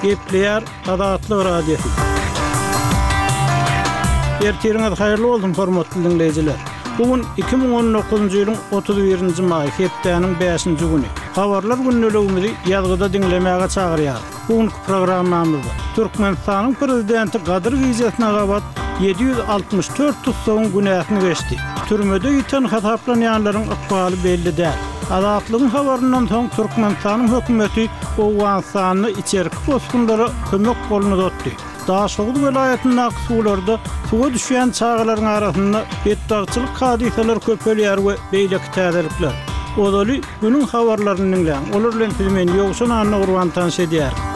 Gepleýär Azatlyk Radiosy. Ertiriňiz haýyrly bolsun, hormatly diňleýjiler! Bu gün 2019-njy ýylyň 31-nji maýy, hepdäniň bäşinji güni. Habarlar gündeligimizi ýazgyda diňlemäge çagyrýarys. Bu günki programmamyzda Türkmenistanyň Prezidenti Gadyr gijesine gabat 764 tussagyň günäsini geçdi. Türmede ýiten hasaplanýanlaryň ykbaly belli däl. Azatlygyň habaryndan soň Türkmenistanyň hökümeti Owganystanda içerki bosgunlara kömek goluny uzatdy. Daşoguz welaýatyndaky suwlarda suwa düşýän çagalaryň arasynda betbagtçylyk hadysalary köpelýär we beýleki täzelikler. Ozaly günüň habarlaryny diňläň, olar bilen sizi men Ýowşan Annagurban tanyş edýärin.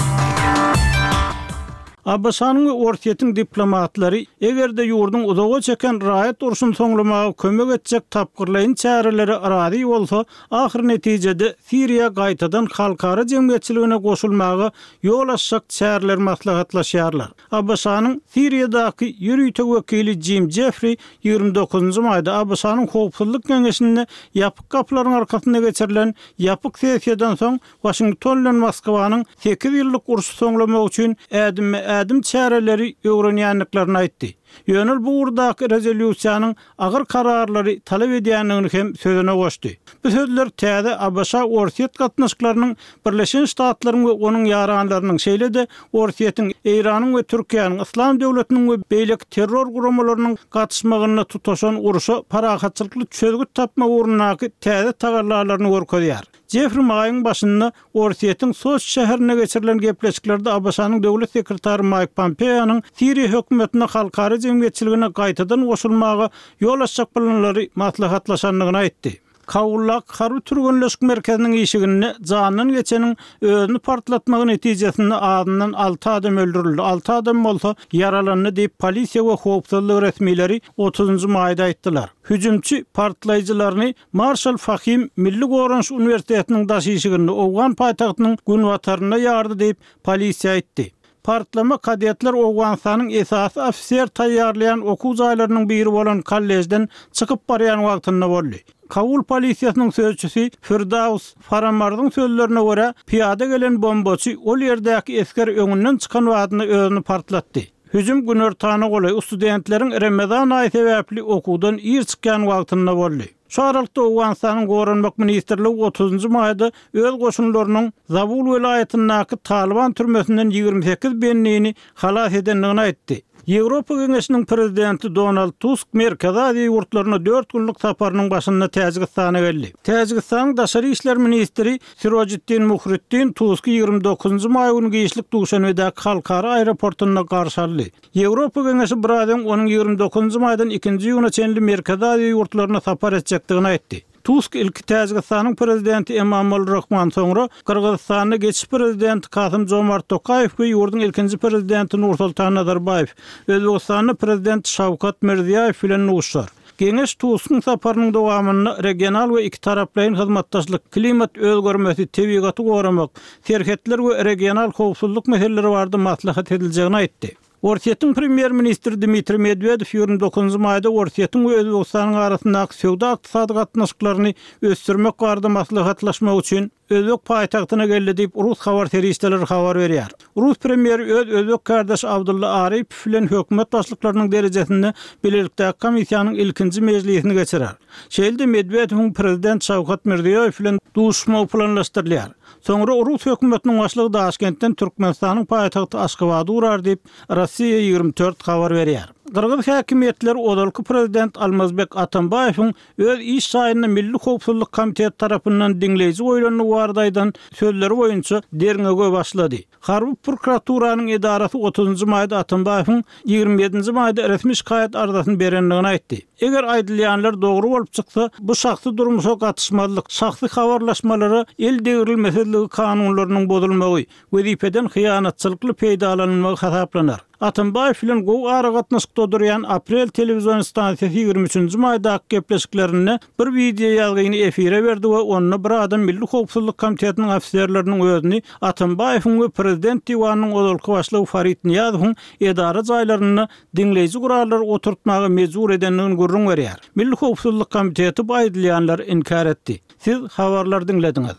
ABŞ-nyň we Orsýetiň diplomatlary, eger-de ýurduň uzaga çeken raýat urşuny soňlamaga kömek etjek tapgyrlaýyn çärelere razy bolsa, ahyr netijede Siriýa gaýtadan halkara jemgyýetçiligine goşulmaga ýol açjak çäreleri maslahatlaşýarlar. ABŞ-nyň Siriýadaky ýörite wekili Jim Jeffri 29-njy maýda ABŞ-nyň Howpsuzlyk Geňeşinde ýapyk gapylaryň arkasynda geçirilen ýapyk sessiýadan soň Waşington bilen Moskwanyň sekiz ýyllyk urşy soňlamak üçin ädimme-ädim çäreleri öwrenýändiklerini aýtdy. Ýöne ol bu ugurdaky rezolýusiýanyň agyr kararlary talap edýändigini hem sözüne goşdy. Bu sözler täze ABŞ-Orsýet gatnaşyklarynyň Birleşen Ştatlaryň we onuň ýaranlarynyň, şeýle-de Orsýetiň, Eýranyň we Türkiýäniň Yslam döwletiniň we beýleki terror guramalarynyň gatyşmagynda tutaşan urşa parahatçylykly çözgüt tapmak ugrundaky täze tagallalaryny görkezýär. Jeffri maýyň başynda Orsýetiň Soçi şäherinde geçirilen gepleşiklerde ABŞ-nyň döwlet sekretary Maýk Pompeonyň Siriýa hökümetine halkara jemgyýetçiligine gaýtadan goşulmaga ýol açjak planlary maslahatlaşandygyny aýtdy. Kabuldaky harby türgenleşik merkeziniň işiginde jandan geçeniň özüni partlatmagy netijesinde azyndan alty adam öldürildi, alty adam bolsa ýaralandy diýip, polisiýa we howpsuzlyk resmileri otuzynjy maýda aýtdylar. Hüjümçi partlaýjylaryny Marşal Fahim Milli goranyş uniwersitetiniň daş işiginde, owgan paýtagtynyň günbatarynda ýardy diýip, polisiýa aýtdy. Partlama kadetler Owganystanyň esasy ofiser taýýarlaýan okuw jaýlarynyň biri bolan kollejden çykyp barýan wagtynda boldy. Kabul polisiýasynyň sözçüsi Firdaws Faramarzyň sözlerine görä, pyýada gelen bombaçy ol ýerdäki esger öňünden çykan badyna özüni partlatdy. Hüjüm günortana golaý, studentleriň Remezan aýy sebäpli okuwdan ir çykýan wagtynda boldy. Şu aralykda Owganystanyň Goranmak ministrligi otuzynjy maýda öz goşunlarynyň Zabul welaýatyndaky Talyban türmesinden 28 bendini halas edendigini aýtdy. Ýewropa Geňeşiniň Prezidenti Donald Tusk Merkezi Aziýa ýurtlaryna dört günlük saparynyň başynda Täjigistana geldi. Täjigistanyň daşary işler ministri Sirojiddin Muhriddin Tusky 29-njy maý güni giçlik Duşanbedäki halkara aeroportunda garşy aldy. Ýewropa Geňeşi biraz öň onuň 29-njy maýdan ikinji iýuna çenli Merkezi Aziýa ýurtlaryna sapar etjekdigini aýtdy. Tusk ilki Täjigistanyň Prezidenti Emomali Rahman, soňra Gyrgyzystanda geçiş Prezidenti Kasym-Jomart Tokaýew we ýurduň ilkinji Prezidenti Nursultan Nazarbaýew, Özbegistanda Prezident Şawkat Mirziýaýew bilen duşuşar. Geňeş Tuskyň saparynyň dowamynda regional we ikitaraplaýyn hyzmatdaşlyk, klimat özgermesi, tebigaty goramak, serhetler we regional howpsuzlyk meseleleri barada maslahat ediljegini aýtdy. Orsýetiň premýer-ministri Dmitriý Medwedew 29 maýda Orsýetiň we Özbegistanyň arasyndaky söwda-ykdysady gatnaşyklaryny ösdürmek barada maslahatlaşmak üçin özbek paýtagtyna geldi diýip, rus habar serişdeleri habar berýär. Rus premýeri öz özbek kärdeşi Abdulla Aripow bilen hökümet başlyklarynyň derejesinde bilelikdäki komissiýanyň ilkinji mejlisini geçirer. Şeýle-de Medwedewiň prezident Şawkat Mirziýoýew bilen duşuşmagy planlaşdyrylýar. Soňra rus hökümetiniň başlygy Daşkentden Türkmenistanyň paýtagty Aşgabada ugrar diýip, Rossiýa 24 habar berýär. Gyrgyz häkimiýetleri ozalky prezident Almazbek Atambaýewiň öz iş jaýynda Milli howpsuzlyk komiteti tarapyndan diňleýji goýlandygy barada aýdan sözleri boýunça derňewe başlady. Harby prokuraturanyň edarasy otuzynjy maýda Atambaýewiň 27 nji maýda resmi şikaýat arzasyny berendigini aýtdy. Eger aýdylýanlar dogry bolup çyksa, bu şahsy durmuşa gatyşmazlyk, şahsy habarlaşmalara el degrilmesizligi kanunlarynyň bozulmagy, wezipeden hyýanatçylykly peýdalanylmagy hasaplanar. Atambaýew bilen gowy aragatnaşykda durýan Aprel telewizion stansiýasy 23 nji maýdaky gepleşiklerinde bir wideoýazgyny efire berdi we onda bir adam Milli howpsuzlyk komitetiniň ofiserleriniň özüni Atambaýewiň we prezident diwanynyň ozalky başlygy Farid Nyýazowyň edara jaýlarynda diňleýji gurallary oturtmaga mejbur edendigini gürrüň berýär. Milli howpsuzlyk komiteti bu aýdylýanlary inkär etdi. Siz habarlary diňlediňiz.